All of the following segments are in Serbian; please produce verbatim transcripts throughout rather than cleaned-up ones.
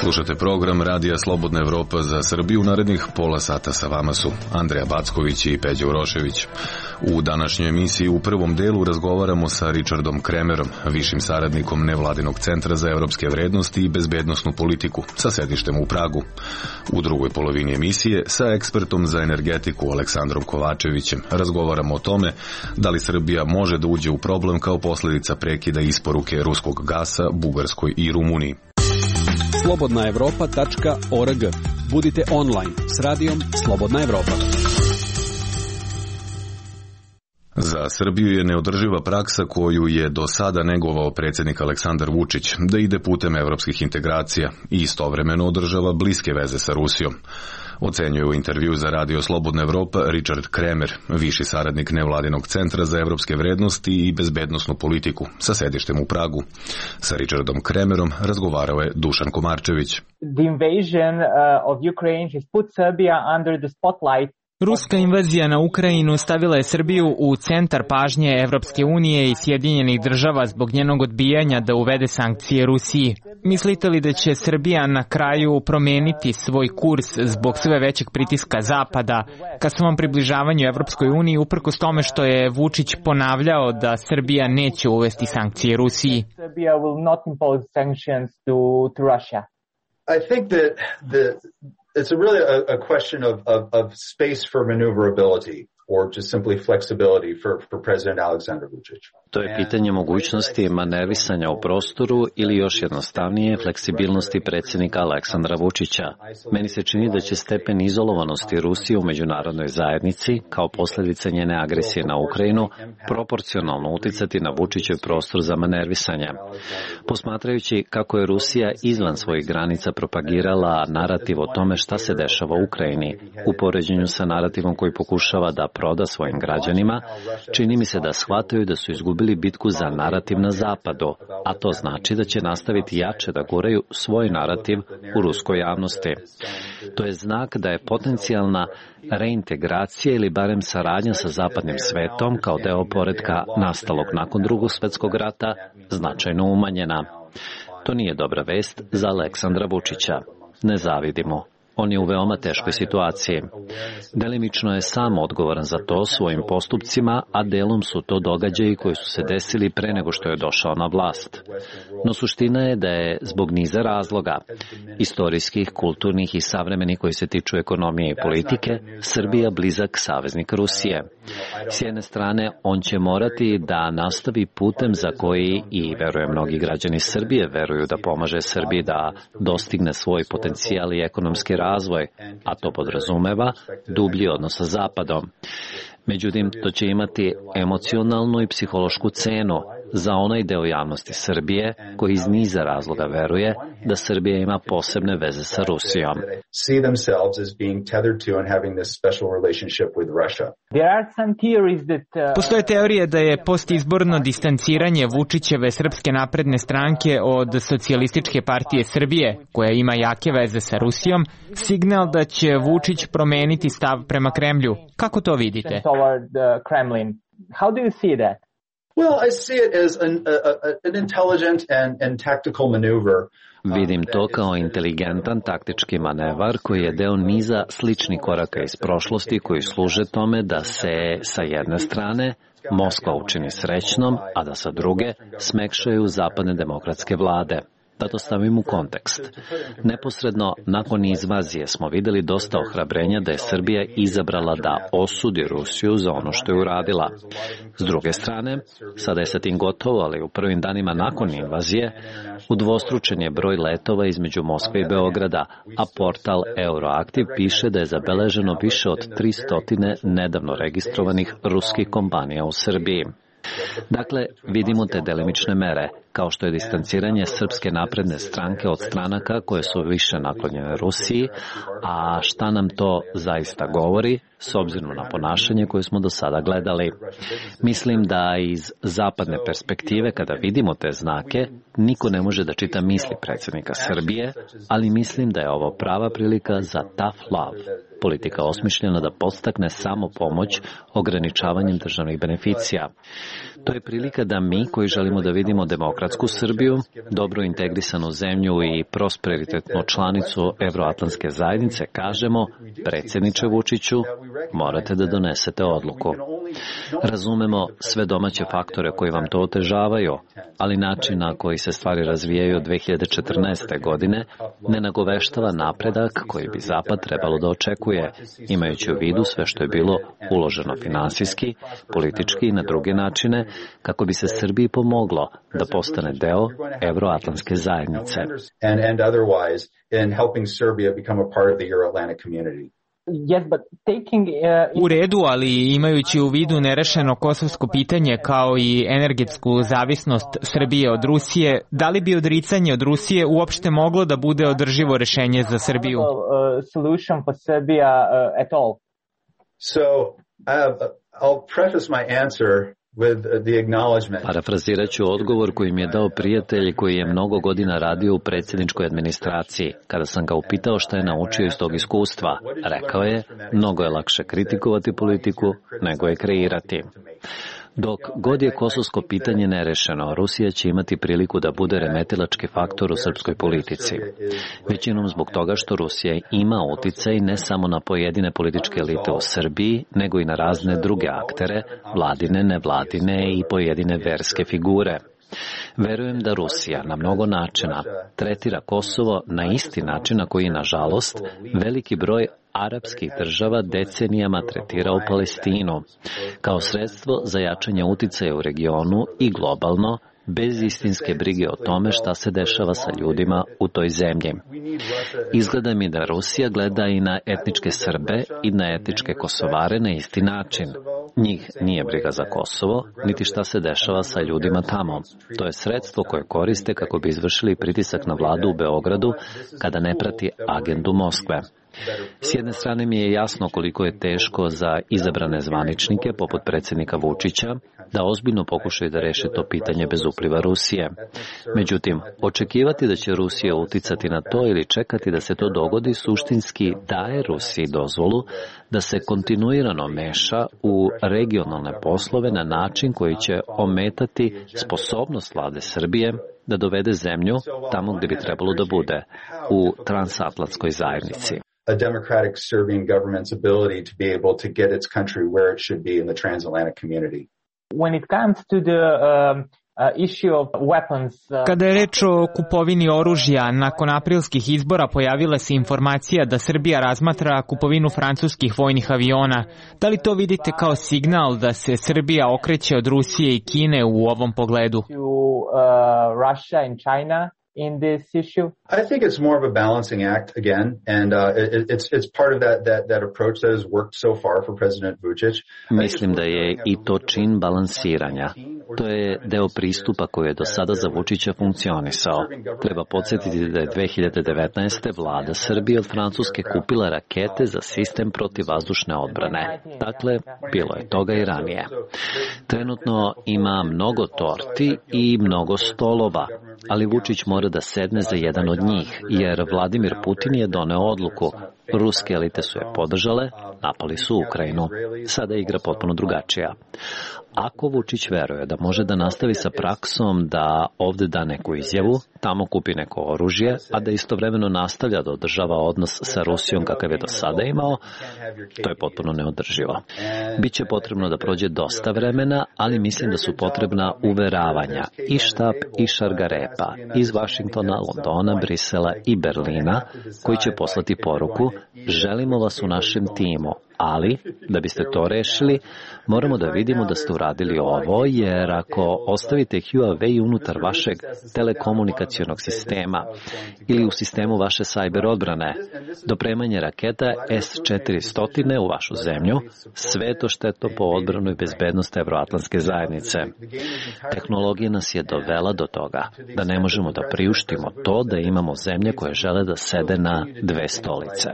Slušate program Radija Slobodna Evropa za Srbiju. U narednih pola sata sa vama su Andreja Backović i Peđa Urošević. U današnjoj emisiji u prvom delu razgovaramo sa Richardom Kremerom, višim saradnikom Nevladinog centra za evropske vrednosti i bezbednosnu politiku sa sedištem u Pragu. U drugoj polovini emisije sa ekspertom za energetiku Aleksandrom Kovačevićem razgovaramo o tome da li Srbija može da uđe u problem kao posljedica prekida isporuke ruskog gasa Bugarskoj i Rumuniji. slobodna evropa tačka org. Budite online s radijom Slobodna Evropa. Za Srbiju je neodrživa praksa koju je do sada negovao predsjednik Aleksandar Vučić, da ide putem evropskih integracija i istovremeno održava bliske veze sa Rusijom. Ocenjuje u intervju za Radio Slobodna Evropa Richard Kremer, viši saradnik Nevladinog centra za evropske vrednosti i bezbednosnu politiku sa sedištem u Pragu. Sa Richardom Kremerom razgovarao je Dušan Komarčević. The invasion uh, of Ukraine has put Serbia under the spotlight. Ruska invazija na Ukrajinu stavila je Srbiju u centar pažnje Evropske unije i Sjedinjenih država zbog njenog odbijanja da uvede sankcije Rusiji. Mislite li da će Srbija na kraju promeniti svoj kurs zbog sve većeg pritiska Zapada ka svom približavanju Evropskoj uniji, uprkos tome što je Vučić ponavljao da Srbija neće uvesti sankcije Rusiji? Serbia will not impose sanctions to, to Russia. I think that the It's a really a, a question of, of, of space for maneuverability or just simply flexibility for, for President Aleksandar Vučić. To je pitanje mogućnosti manevisanja u prostoru ili još jednostavnije fleksibilnosti predsjednika Aleksandra Vučića. Meni se čini da će stepen izolovanosti Rusije u međunarodnoj zajednici kao posljedica njene agresije na Ukrajinu proporcionalno uticati na Vučićev prostor za manervisanje. Posmatrajući kako je Rusija izvan svojih granica propagirala narativ o tome šta se dešava u Ukrajini u poređenju sa narativom koji pokušava da proda svojim građanima, čini mi se da shvataju da su izgubili bitku za narativ na zapadu, a to znači da će nastaviti jače da guraju svoj narativ u ruskoj javnosti. To je znak da je potencijalna reintegracija ili barem saradnja sa zapadnim svetom kao deo poretka nastalog nakon Drugog svjetskog rata značajno umanjena. To nije dobra vest za Aleksandra Vučića. Ne zavidimo. On je u veoma teškoj situaciji. Delimično je sam odgovoran za to svojim postupcima, a delom su to događaji koji su se desili pre nego što je došao na vlast. No suština je da je zbog niza razloga, istorijskih, kulturnih i savremenih koji se tiču ekonomije i politike, Srbija blizak saveznik Rusije. S jedne strane, on će morati da nastavi putem za koji i, verujem, mnogi građani Srbije veruju da pomaže Srbiji da dostigne svoj potencijal i ekonomski razvoj, a to podrazumeva dublji odnos sa Zapadom. Međutim, to će imati emocionalnu i psihološku cenu za onaj deo javnosti Srbije koji iz niza razloga veruje da Srbija ima posebne veze sa Rusijom. Postoje teorije da je postizborno distanciranje Vučićeve Srpske napredne stranke od Socijalističke partije Srbije, koja ima jake veze sa Rusijom, signal da će Vučić promeniti stav prema Kremlju. Kako to vidite? How do you see that? Well, I see it as an, a, an intelligent and, and tactical maneuver. Vidim to kao inteligentan taktički manevar koji je deo niza sličnih koraka iz prošlosti koji služe tome da se sa jedne strane Moskva učini srećnom, a da sa druge smekšaju zapadne demokratske vlade. Da to stavim u kontekst. Neposredno nakon invazije smo videli dosta ohrabrenja da je Srbija izabrala da osudi Rusiju za ono što je uradila. S druge strane, sada je sa tim gotovo, ali u prvim danima nakon invazije udvostručen je broj letova između Moskve i Beograda, a portal Euroaktiv piše da je zabeleženo više od tristo nedavno registrovanih ruskih kompanija u Srbiji. Dakle, vidimo te delimične mere, kao što je distanciranje Srpske napredne stranke od stranaka koje su više naklonjene Rusiji, a šta nam to zaista govori, s obzirom na ponašanje koje smo do sada gledali. Mislim da iz zapadne perspektive, kada vidimo te znake, niko ne može da čita misli predsjednika Srbije, ali mislim da je ovo prava prilika za tough love. politika osmišljena da podstakne samo pomoć ograničavanjem državnih beneficija. To je prilika da mi, koji želimo da vidimo demokratsku Srbiju, dobro integrisanu zemlju i prosperitetnu članicu Evroatlantske zajednice, kažemo, predsjedniče Vučiću, morate da donesete odluku. Razumemo sve domaće faktore koji vam to otežavaju, ali način na koji se stvari razvijaju od dve hiljade četrnaeste. godine ne nagoveštava napredak koji bi Zapad trebalo da očekuje, imajući u vidu sve što je bilo uloženo finansijski, politički i na druge načine, kako bi se Srbiji pomoglo da postane deo Evroatlantske zajednice. U redu, ali imajući u vidu nerešeno kosovsko pitanje kao i energetsku zavisnost Srbije od Rusije, da li bi odricanje od Rusije uopšte moglo da bude održivo rešenje za Srbiju? Parafrazirat ću odgovor koji mi je dao prijatelj koji je mnogo godina radio u predsjedničkoj administraciji. Kada sam ga upitao šta je naučio iz tog iskustva, rekao je, mnogo je lakše kritikovati politiku nego je kreirati. Dok god je kosovsko pitanje nerešeno, Rusija će imati priliku da bude remetilački faktor u srpskoj politici. Većinom zbog toga što Rusija ima uticaj ne samo na pojedine političke elite u Srbiji, nego i na razne druge aktere, vladine, nevladine i pojedine verske figure. Verujem da Rusija na mnogo načina tretira Kosovo na isti način na koji, nažalost, veliki broj arapskih država decenijama tretirao Palestinu, kao sredstvo za jačanje uticaja u regionu i globalno, bez istinske brige o tome šta se dešava sa ljudima u toj zemlji. Izgleda mi da Rusija gleda i na etničke Srbe i na etničke Kosovare na isti način. Njih nije briga za Kosovo, niti šta se dešava sa ljudima tamo. To je sredstvo koje koriste kako bi izvršili pritisak na vladu u Beogradu kada ne prati agendu Moskve. S jedne strane mi je jasno koliko je teško za izabrane zvaničnike, poput predsjednika Vučića, da ozbiljno pokušaju da reše to pitanje bez upliva Rusije. Međutim, očekivati da će Rusija uticati na to ili čekati da se to dogodi suštinski daje Rusiji dozvolu da se kontinuirano meša u regionalne poslove na način koji će ometati sposobnost vlade Srbije da dovede zemlju tamo gde bi trebalo da bude, u transatlantskoj zajednici. A democratic Serbian government's ability to be able to get its country where it should be in the transatlantic community. When it comes to the um, uh, issue of weapons, uh, Kada je reč o kupovini oružja, nakon aprilskih izbora pojavila se informacija da Srbija razmatra kupovinu francuskih vojnih aviona. Da li to vidite kao signal da se Srbija okreće od Rusije i Kine u ovom pogledu? to uh, Russia and China in this issue? I think it's more of a balancing act again, and uh, it, it's it's part of that that that approach that has worked so far for President Vučić. Mislim da je i to čin balansiranja. To je deo pristupa koji je do sada za Vučića funkcionisao. Treba podsjetiti da je dve hiljade devetnaeste. vlada Srbije od Francuske kupila rakete za sistem protivvazdušne odbrane. Dakle, bilo je toga i ranije. Trenutno ima mnogo torti i mnogo stolova, ali Vučić mora da sedne za jedan od njih, jer Vladimir Putin je doneo odluku. Ruske elite su je podržale, napali su Ukrajinu. Sada je igra potpuno drugačija. Ako Vučić veruje da može da nastavi sa praksom da ovde da neku izjavu, tamo kupi neko oružje, a da istovremeno nastavlja da održava odnos sa Rusijom kakav je do sada imao, to je potpuno neodrživo. Biće potrebno da prođe dosta vremena, ali mislim da su potrebna uveravanja i štab i šargarepa iz Vašingtona, Londona, Brisela i Berlina, koji će poslati poruku: želimo vas u našem timu, ali da biste to rešili, moramo da vidimo da ste uradili ovo, jer ako ostavite Huawei unutar vašeg telekomunikacionog sistema ili u sistemu vaše sajber odbrane, dopremanje raketa S četiristo u vašu zemlju, sve to štetno po odbranu i bezbednost Evroatlantske zajednice. Tehnologija nas je dovela do toga da ne možemo da priuštimo to da imamo zemlje koje žele da sede na dve stolice.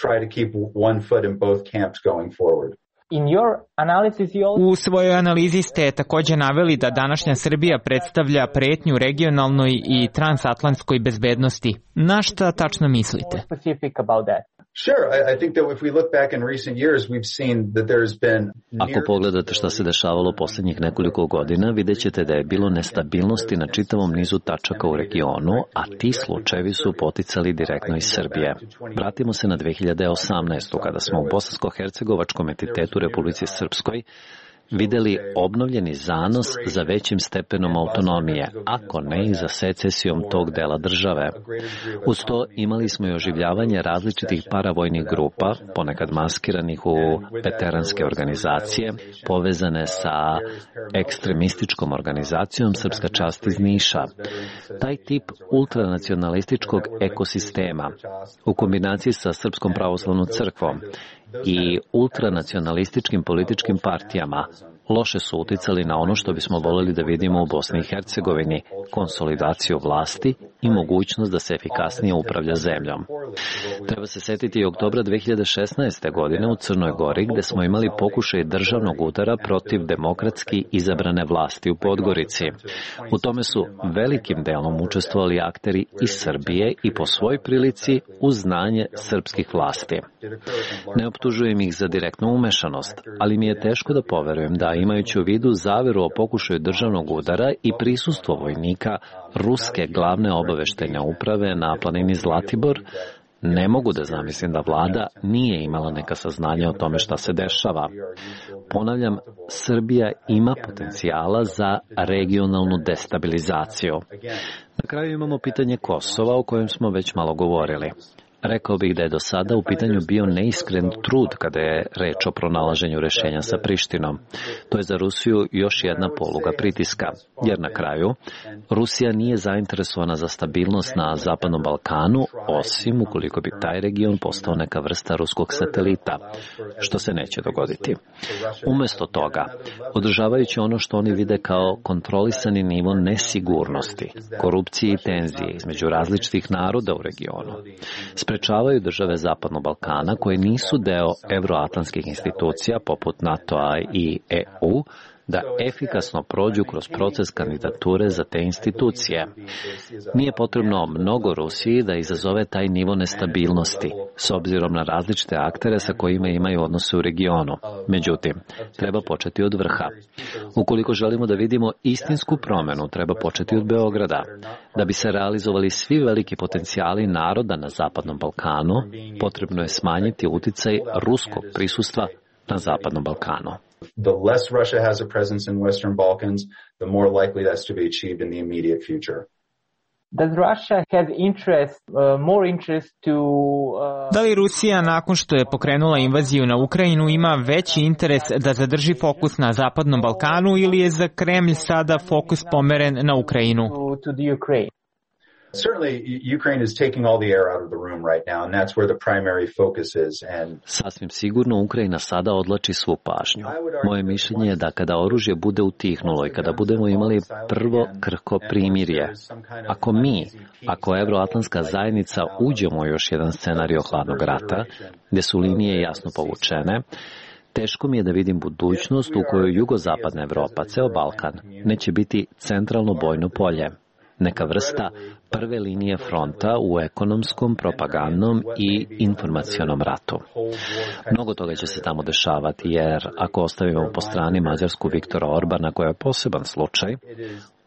Try to keep one foot in both camps going forward. In your analysis, you also... U svojoj analizi ste također naveli da današnja Srbija predstavlja pretnju regionalnoj i transatlantskoj bezbednosti. Na šta tačno mislite? Specific about that. Sure, I think that if we look back in recent years, we've seen that there's been... Ako pogledate šta se dešavalo posljednjih nekoliko godina, vidjet ćete da je bilo nestabilnosti na čitavom nizu tačaka u regionu, a ti slučajevi su poticali direktno iz Srbije. Vratimo se na dve hiljade osamnaestu. kada smo u Bosansko-Hercegovačkom entitetu Republici Srpskoj videli obnovljeni zanos za većim stepenom autonomije, ako ne i za secesijom tog dela države. Uz to imali smo i oživljavanje različitih paravojnih grupa, ponekad maskiranih u veteranske organizacije, povezane sa ekstremističkom organizacijom Srpska čast iz Niša. Taj tip ultranacionalističkog ekosistema, u kombinaciji sa Srpskom pravoslavnom crkvom i ultranacionalističkim političkim partijama, loše su uticali na ono što bismo voljeli da vidimo u Bosni i Hercegovini, konsolidaciju vlasti i mogućnost da se efikasnije upravlja zemljom. Treba se setiti i oktobra dve hiljade šesnaeste. godine u Crnoj Gori, gde smo imali pokušaj državnog udara protiv demokratski izabrane vlasti u Podgorici. U tome su velikim delom učestvovali akteri iz Srbije i po svoj prilici uz znanje srpskih vlasti. Ne optužujem ih za direktnu umešanost, ali mi je teško da poverujem da, imajući u vidu zaveru o pokušaju državnog udara i prisustvo vojnika ruske glavne obaveštajne uprave na planini Zlatibor, ne mogu da zamislim da vlada nije imala neka saznanja o tome šta se dešava. Ponavljam, Srbija ima potencijala za regionalnu destabilizaciju. Na kraju imamo pitanje Kosova, o kojem smo već malo govorili. Rekao bih da je do sada u pitanju bio neiskren trud kada je reč o pronalaženju rešenja sa Prištinom. To je za Rusiju još jedna poluga pritiska, jer na kraju Rusija nije zainteresovana za stabilnost na Zapadnom Balkanu, osim ukoliko bi taj region postao neka vrsta ruskog satelita, što se neće dogoditi. Umesto toga, održavajući ono što oni vide kao kontrolisani nivo nesigurnosti, korupcije i tenzije između različitih naroda u regionu, sprečavaju države Zapadnog Balkana koje nisu deo evroatlantskih institucija poput NATO-a i E U da efikasno prođu kroz proces kandidature za te institucije. Nije potrebno mnogo Rusiji da izazove taj nivo nestabilnosti, s obzirom na različite aktere sa kojima imaju odnose u regionu. Međutim, treba početi od vrha. Ukoliko želimo da vidimo istinsku promenu, treba početi od Beograda. Da bi se realizovali svi veliki potencijali naroda na Zapadnom Balkanu, potrebno je smanjiti uticaj ruskog prisustva na Zapadnom Balkanu. The less Russia has a presence in Western Balkans, the more likely that's to be achieved in the immediate future. Does Russia have interest, uh, more interest to... Uh... Da li Rusija, nakon što je pokrenula invaziju na Ukrajinu, ima veći interes da zadrži fokus na Zapadnom Balkanu ili je za Kremlj sada fokus pomeren na Ukrajinu? To, to the Ukraine. Certainly, Ukraine is taking all the air out of the room right now, and that's where the primary focus is. And sasvim sigurno Ukrajina sada odlači svu pažnju. Moje mišljenje je da kada oružje bude utihnulo i kada budemo imali prvo krhko primirje, ako mi, ako evroatlantska zajednica uđemo u još jedan scenario hladnog rata, gde su linije jasno povučene, teško mi je da vidim budućnost u kojoj jugozapadna Evropa, ceo Balkan, neće biti centralno bojno polje. Neka vrsta prve linije fronta u ekonomskom, propagandnom i informacionom ratu. Mnogo toga će se tamo dešavati, jer ako ostavimo po strani Mađarsku Viktora Orbana, koja je poseban slučaj,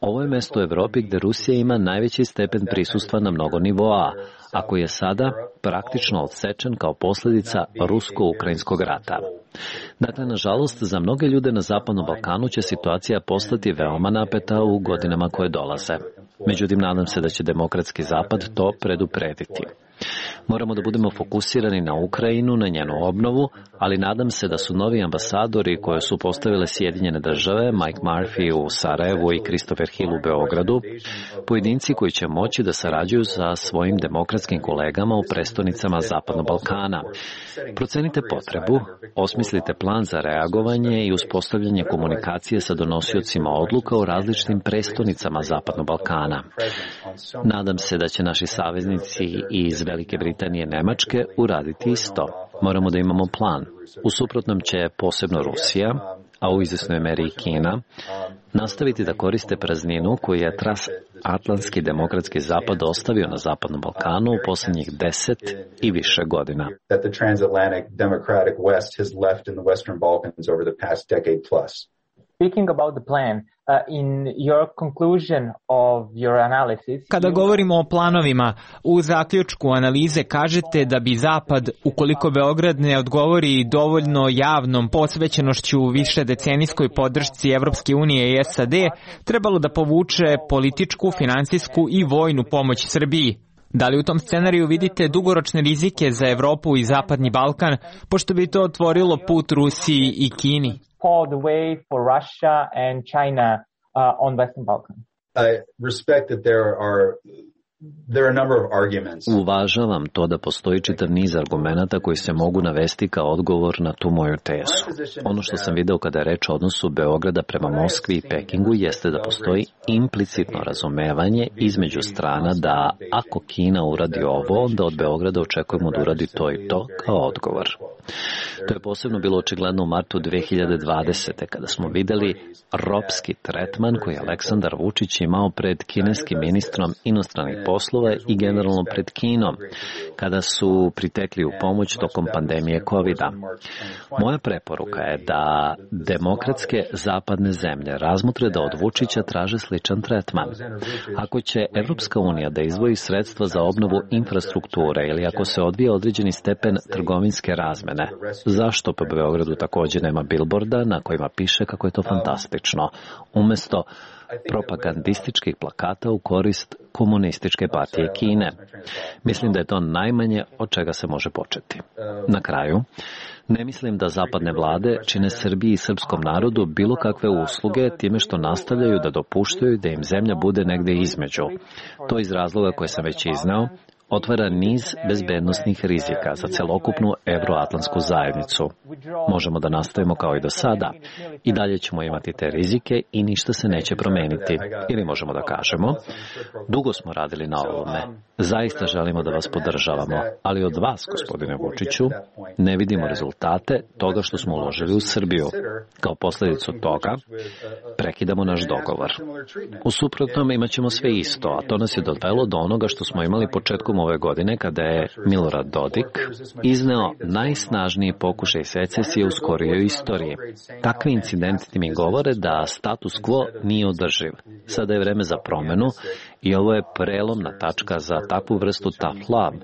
ovo je mesto u Evropi gde Rusija ima najveći stepen prisustva na mnogo nivoa, a koji je sada praktično odsečen kao posljedica rusko-ukrajinskog rata. Dakle, nažalost, za mnoge ljude na Zapadnom Balkanu će situacija postati veoma napeta u godinama koje dolaze. Međutim, nadam se da će demokratski Zapad to preduprediti. Moramo da budemo fokusirani na Ukrajinu, na njenu obnovu, ali nadam se da su novi ambasadori koje su postavile Sjedinjene države, Mike Murphy u Sarajevu i Christopher Hill u Beogradu, pojedinci koji će moći da sarađuju sa svojim demokratskim kolegama u prestonicama Zapadnog Balkana. Procenite potrebu, osmislite plan za reagovanje i uspostavljanje komunikacije sa donosiocima odluka u različitim prestonicama Zapadnog Balkana. Nadam se da će naši saveznici iz Velike Britanije i Nemačke uraditi isto. Moramo da imamo plan. U suprotnom će posebno Rusija, a u izvesnoj meri i Kina, nastaviti da koriste prazninu koju je transatlantski demokratski zapad ostavio na Zapadnom Balkanu u posljednjih deset i više godina. Speaking about the plan, uh, in your conclusion of your analysis... Kada govorimo o planovima, u zaključku analize kažete da bi Zapad, ukoliko Beograd ne odgovori dovoljno javnom posvećenošću više decenijskoj podršci Evropske unije i S A D, trebalo da povuče političku, finansijsku i vojnu pomoć Srbiji. Da li u tom scenariju vidite dugoročne rizike za Evropu i Zapadni Balkan, pošto bi to otvorilo put Rusiji i Kini? For the way for Russia and China uh, on Western Balkan. I respect that there are there are a number of arguments. Uvažavam to da postoji čitav niz argumenata koji se mogu navesti kao odgovor na tu moju tezu. Ono što sam video kada je reč o odnosu Beograda prema Moskvi i Pekingu jeste da postoji implicitno razumevanje između strana da ako Kina uradi ovo, onda od Beograda očekujemo da uradi to i to kao odgovor. To je posebno bilo očigledno u martu dve hiljade dvadesete. kada smo videli ropski tretman koji je Aleksandar Vučić imao pred kineskim ministrom inostranih poslova i generalno pred Kinom, kada su pritekli u pomoć tokom pandemije kovida. Moja preporuka je da demokratske zapadne zemlje razmotre da od Vučića traže sličan tretman. Ako će Evropska unija da izdvoji sredstva za obnovu infrastrukture ili ako se odvija određeni stepen trgovinske razmene, zašto po Beogradu također nema bilborda na kojima piše kako je to fantastično, umesto propagandističkih plakata u korist komunističke partije Kine? Mislim da je to najmanje od čega se može početi. Na kraju, ne mislim da zapadne vlade čine Srbiji i srpskom narodu bilo kakve usluge time što nastavljaju da dopuštaju da im zemlja bude negde između. To iz razloga koje sam već izneo, otvara niz bezbednosnih rizika za celokupnu evroatlantsku zajednicu. Možemo da nastavimo kao i do sada. I dalje ćemo imati te rizike i ništa se neće promeniti. Ili možemo da kažemo, dugo smo radili na ovome. Zaista želimo da vas podržavamo, ali od vas, gospodine Vučiću, ne vidimo rezultate toga što smo uložili u Srbiju. Kao posledicu toga, prekidamo naš dogovor. U suprotnom imat ćemo sve isto, a to nas je dovelo do onoga što smo imali početkom ove godine kada je Milorad Dodik izneo najsnažniji pokušaj secesije u skorijoj istoriji. Takvi incidenti mi govore da status quo nije održiv. Sada je vreme za promenu i ovo je prelomna tačka za takvu vrstu tough love,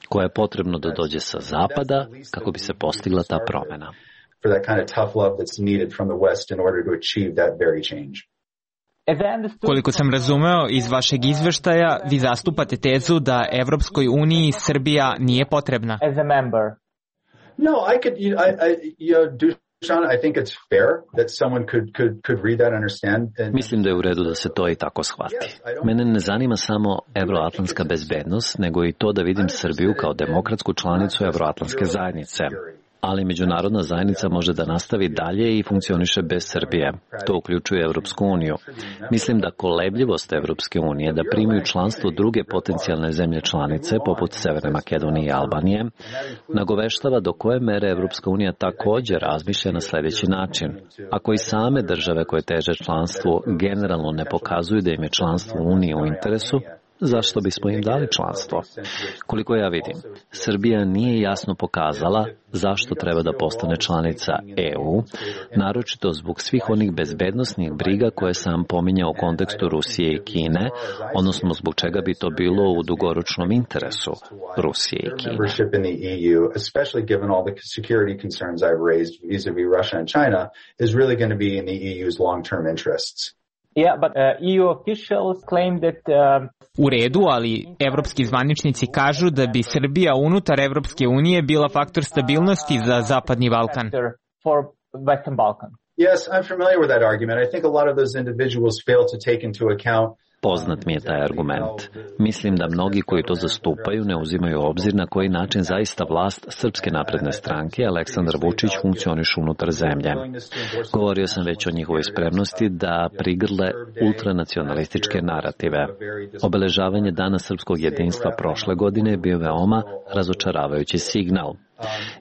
koja je potrebno da dođe sa zapada kako bi se postigla ta promena. Koliko sam razumeo iz vašeg izveštaja, vi zastupate tezu da Evropskoj uniji Srbija nije potrebna. As a member. No, I could, I, I, you know, Sean, I think it's fair that someone could could could read that and understand. And... Mislim da je u redu da se to i tako shvati. Mene ne zanima samo evroatlantska bezbednost, nego i to da vidim Srbiju kao demokratsku članicu evroatlantske zajednice. Ali međunarodna zajednica može da nastavi dalje i funkcioniše bez Srbije. To uključuje Evropsku uniju. Mislim da kolebljivost Evropske unije da primaju članstvo druge potencijalne zemlje članice, poput Severne Makedonije i Albanije, nagoveštava do koje mere Evropska unija također razmišlja na sljedeći način. Ako i same države koje teže članstvu generalno ne pokazuju da im je članstvo u Uniji u interesu, zašto bismo im dali članstvo? Koliko ja vidim, Srbija nije jasno pokazala zašto treba da postane članica E U, naročito zbog svih onih bezbednosnih briga koje sam pominjao u kontekstu Rusije i Kine, odnosno zbog čega bi to bilo u dugoročnom interesu Rusije i Kine. Yeah, but uh, E U officials claim that uh, U redu, ali evropski zvaničnici kažu da bi Srbija unutar Evropske unije bila faktor stabilnosti za Zapadni Balkan. For Western Balkan. Yes, I'm familiar with that argument. I think a lot of those individuals fail to take into account. Poznat mi je taj argument. Mislim da mnogi koji to zastupaju ne uzimaju obzir na koji način zaista vlast Srpske napredne stranke Aleksandar Vučić funkcioniše unutar zemlje. Govorio sam već o njihovoj spremnosti da prigrle ultranacionalističke narative. Obeležavanje Dana srpskog jedinstva prošle godine je bio veoma razočaravajući signal.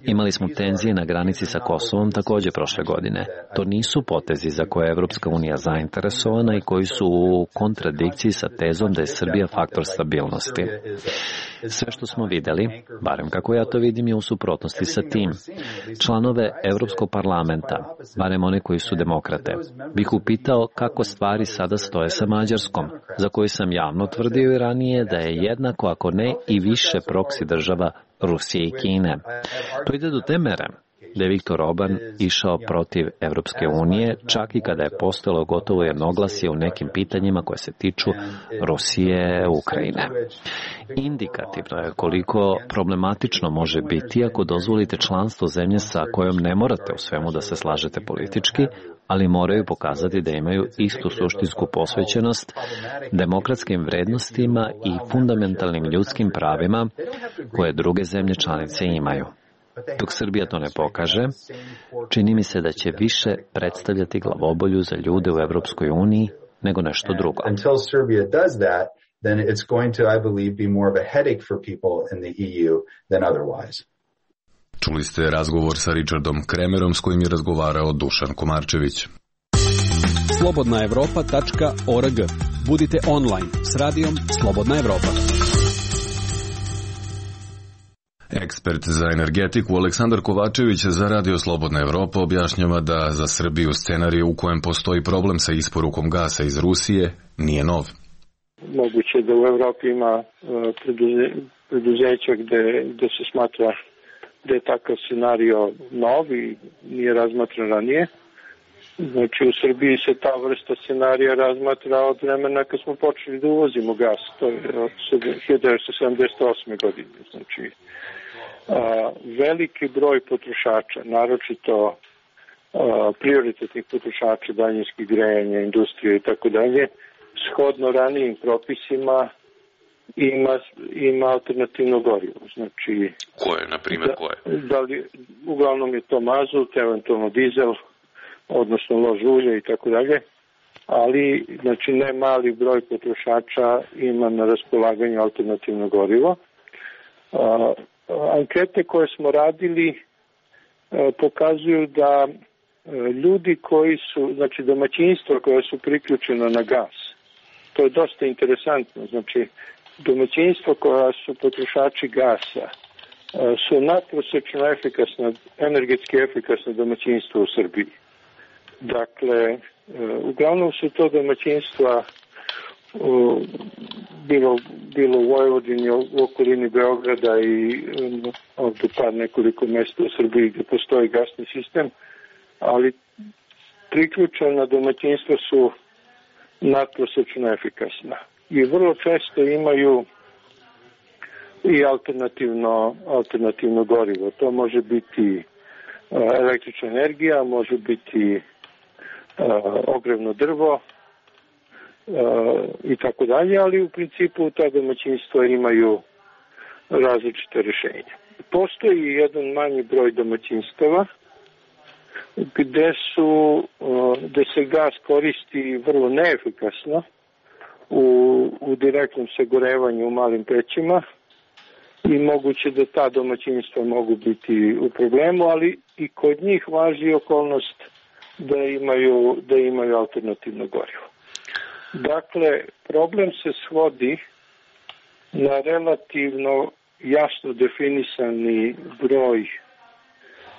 Imali smo tenzije na granici sa Kosovom takođe prošle godine. To nisu potezi za koje je Evropska unija zainteresovana i koji su u kontradikciji sa tezom da je Srbija faktor stabilnosti. Sve što smo videli, barem kako ja to vidim, je u suprotnosti sa tim. Članove Evropskog parlamenta, barem one koji su demokrate, bih upitao kako stvari sada stoje sa Mađarskom, za koju sam javno tvrdio i ranije da je jednako, ako ne i više proksi država Rusije i Kine. To ide do te mere da je Viktor Orban išao protiv Evropske unije, čak i kada je postojalo gotovo jednoglasje u nekim pitanjima koje se tiču Rusije, Ukrajine. Indikativno je koliko problematično može biti ako dozvolite članstvo zemlje sa kojom ne morate u svemu da se slažete politički, ali moraju pokazati da imaju istu suštinsku posvećenost demokratskim vrednostima i fundamentalnim ljudskim pravima koje druge zemlje članice imaju. Dok Srbija to ne pokaže, čini mi se da će više predstavljati glavobolju za ljude u Evropskoj uniji nego nešto drugo. Then it's going to, I believe, be more of a headache for people in the E U than otherwise. Čuli ste razgovor sa Richardom Kremerom s kojim je razgovarao Dušan Komarčević. slobodna evropa tačka org. Budite online s radijom Slobodna Evropa. Ekspert za energetiku Aleksandar Kovačević za Radio Slobodna Evropa objašnjava da za Srbiju scenarij u kojem postoji problem sa isporukom gasa iz Rusije nije nov. Moguće da u Evropi ima preduze, preduzeća gde, gde se smatra da je takav scenario nov i nije razmatran ranije. Znači u Srbiji se ta vrsta scenarija razmatra od vremena kad smo počeli da uvozimo gas, to je od hiljadu devetsto sedamdeset osme godine. Znači a, veliki broj potrošača, naročito a, prioritetnih potrošača, daljinskih grejanja, industrije i tako dalje, shodno ranijim propisima ima, ima alternativno gorivo. Znači, koje, na primjer, koje? Da, da li, uglavnom je to mazut, eventualno dizel, odnosno lož ulje i tako dalje, ali znači ne mali broj potrošača ima na raspolaganju alternativno gorivo. A, ankete koje smo radili a, pokazuju da a, ljudi koji su, znači domaćinstva koja su priključena na gas, to je dosta interesantno, znači domaćinstva koja su potrošači gasa su nadprosečno efikasna, energetski efikasna domaćinstva u Srbiji. Dakle, uglavnom su to domaćinstva bilo, bilo u Vojvodini, u okolini Beograda i ovdje par nekoliko mesta u Srbiji gdje postoji gasni sistem, ali priključena domaćinstva su nadprosečno efikasna i vrlo često imaju i alternativno, alternativno gorivo. To može biti električna energija, može biti ogrevno drvo i tako dalje, ali u principu ta domaćinstva imaju različite rješenja. Postoji jedan manji broj domaćinstava gde su, gde se gas koristi vrlo neefikasno u, u direktnom sagorevanju u malim pećima i moguće da ta domaćinstva mogu biti u problemu, ali i kod njih važi okolnost da imaju, da imaju alternativno gorivo. Dakle, problem se svodi na relativno jasno definisani broj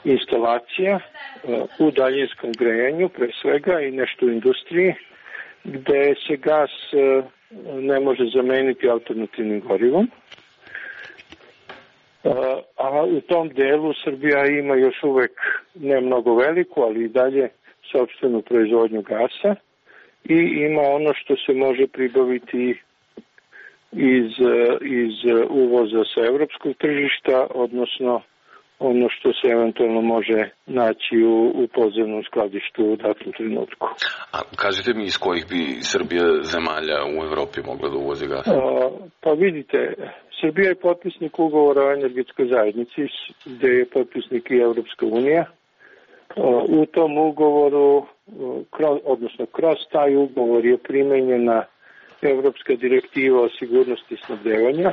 instalacija u daljinskom grejanju, pre svega, i nešto u industriji, gde se gas ne može zameniti alternativnim gorivom. A u tom delu Srbija ima još uvek ne mnogo veliku, ali i dalje sopstvenu proizvodnju gasa i ima ono što se može pribaviti iz, iz uvoza sa evropskog tržišta, odnosno ono što se eventualno može naći u, u podzemnom skladištu u datom trenutku. A kažete mi iz kojih bi Srbija zemalja u Evropi mogla da uvozi gas? A, pa vidite, Srbija je potpisnik ugovora o energetskoj zajednici, gde je potpisnik i Evropska unija. U tom ugovoru, odnosno kroz taj ugovor je primenjena Evropska direktiva o sigurnosti snabdevanja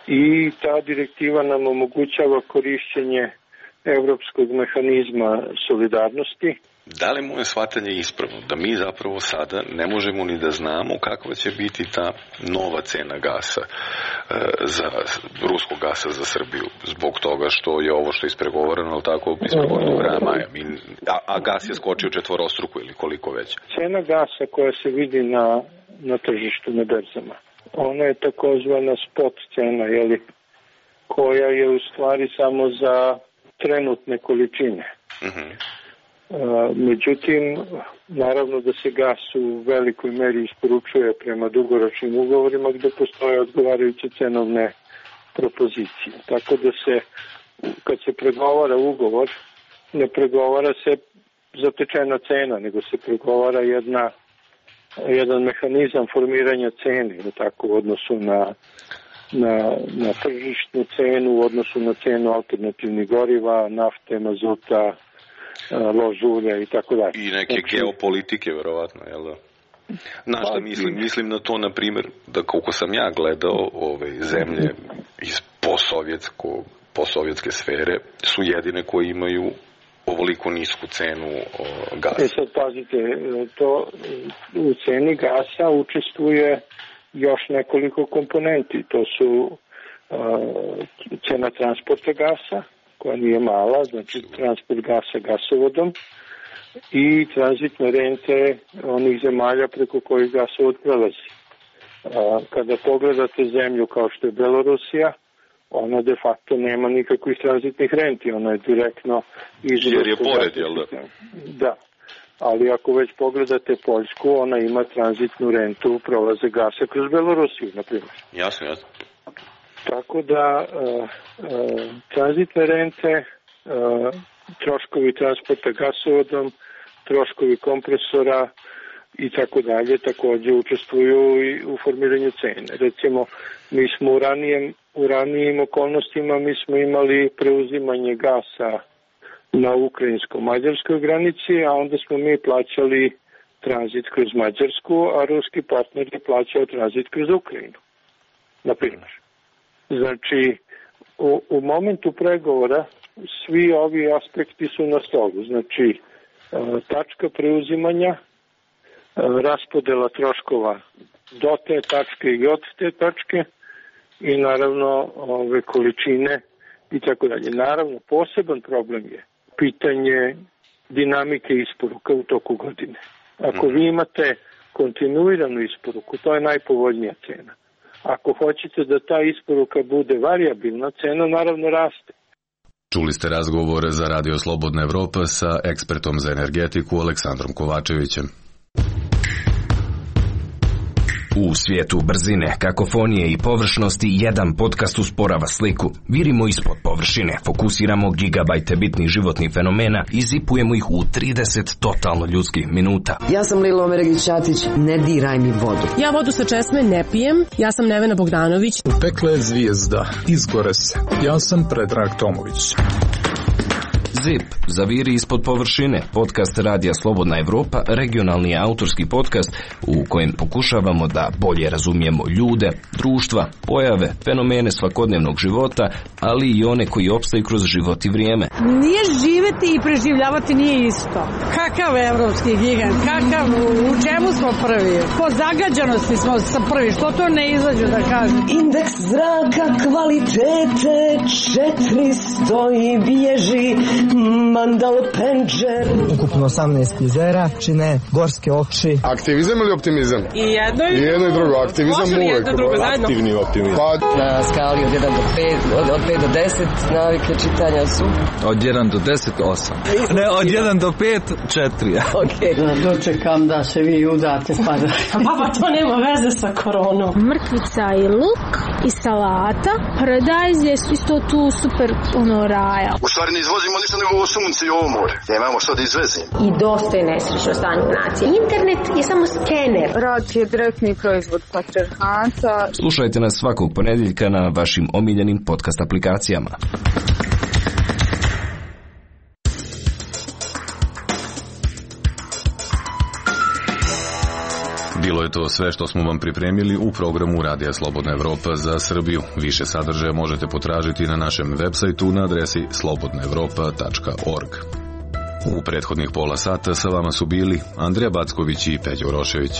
i ta direktiva nam omogućava korišćenje evropskog mehanizma solidarnosti. Da li moje shvatanje ispravno da mi zapravo sada ne možemo ni da znamo kakva će biti ta nova cena gasa e, za ruskog gasa za Srbiju, zbog toga što je ovo što je ispregovoreno, ali tako ispregovoreno do kraja maja, Mi, a, a gas je skočio četvorostruku ili koliko već? Cena gasa koja se vidi na, na tržištu, na berzama, ona je takozvana spot cena, jeli, koja je u stvari samo za trenutne količine. Uh-huh. Međutim, naravno da se gas u velikoj meri isporučuje prema dugoročnim ugovorima gde postoje odgovarajuće cenovne propozicije. Tako da se, kad se pregovara ugovor, ne pregovara se zatečena cena, nego se pregovara jedna, jedan mehanizam formiranja cene, tako, u odnosu na, na, na tržišnu cenu, u odnosu na cenu alternativnih goriva, nafte, mazuta, lož ulja i tako dalje. I neke znači, geopolitike, verovatno, jel da? Na šta mislim? Mislim na to, na primjer, da koliko sam ja gledao ove zemlje iz posovjetsko, posovjetske sfere su jedine koje imaju ovoliko nisku cenu o, gasa. E sad pazite, to u ceni gasa učestvuje još nekoliko komponenti. To su uh, cena transporta gasa, koja nije mala, znači transport gasa gasovodom, i tranzitne rente onih zemalja preko kojih gasovod prelazi. Kada pogledate zemlju kao što je Belorusija, ona de facto nema nikakvih tranzitnih renti, ona je direktno izvod. Jer je pored, jel da? Da, ali ako već pogledate Poljsku, ona ima tranzitnu rentu prolaze gasa kroz Belorusiju, na primjer. Jasno, jasno. Tako da uh, uh, tranzitne rente, uh, troškovi transporta gasovodom, troškovi kompresora i tako dalje takođe učestvuju i u formiranju cene. Recimo, mi smo u ranijem, u ranijim okolnostima mi smo imali preuzimanje gasa na ukrajinsko-mađarskoj granici, a onda smo mi plaćali tranzit kroz Mađarsku, a ruski partner je plaćao tranzit kroz Ukrajinu, na primjer. Znači, u, u momentu pregovora svi ovi aspekti su na stolu. Znači, tačka preuzimanja, raspodela troškova do te tačke i od te tačke i naravno ove količine i tako dalje. Naravno, poseban problem je pitanje dinamike isporuka u toku godine. Ako vi imate kontinuiranu isporuku, to je najpovoljnija cena. Ako hoćete da ta isporuka bude varijabilna, cena naravno raste. Čuli ste razgovor za Radio Slobodna Evropa sa ekspertom za energetiku Aleksandrom Kovačevićem. U svijetu brzine, kakofonije i površnosti jedan podcast usporava sliku. Virimo ispod površine, fokusiramo gigabajte bitnih životnih fenomena i zipujemo ih u trideset totalno ljudskih minuta. Ja sam Lilo Omeregić-Ćatić, ne diraj mi vodu. Ja vodu sa česme ne pijem, ja sam Nevena Bogdanović. Pekla je zvijezda, izgore se. Ja sam Predrag Tomović. Zip, zaviri ispod površine, podcast Radija Slobodna Evropa, regionalni autorski podcast u kojem pokušavamo da bolje razumijemo ljude, društva, pojave, fenomene svakodnevnog života, ali i one koji opstaju kroz život i vrijeme. Nije živeti i preživljavati nije isto. Kakav evropski gigant, kakav, u čemu smo prvi? Po zagađanosti smo sa prvi, što to ne izađu da kažem? Indeks zraka kvalitete četiristo i bježi Mandal Penđer. Ukupno osamnaest jezera čine gorske oči. Aktivizam ili optimizam? I jedno i, I jedno i drugo. Aktivizam uvek. Aktivni optimizam. Pa... Na skali od jedan do pet, od, od pet do deset navike čitanja su? Od jedan do deset, osam. Ne, od jedan do pet, četiri. Okej. Okay. Dočekam da se vi udate pa da... Baba, to nema veze sa koronom. Mrkvica i luk i salata. Paradajz je isto tu super ono raja. U stvari ne izvozimo ništa nego ovo sunce i ovo more. Nemamo što da izvezimo. I dosta je nesrećno stanje nacije. Internet je samo skener. Rad je direktni proizvod patrijarhata. Slušajte nas svakog ponedjeljka na vašim omiljenim podcast aplikacijama. Bilo Bilo je to sve što smo vam pripremili u programu Radija Slobodna Evropa za Srbiju. Više sadržaja možete potražiti na našem web sajtu na adresi slobodna evropa tačka org. U prethodnih pola sata sa vama su bili Andrija Backović i Peđa Urošević.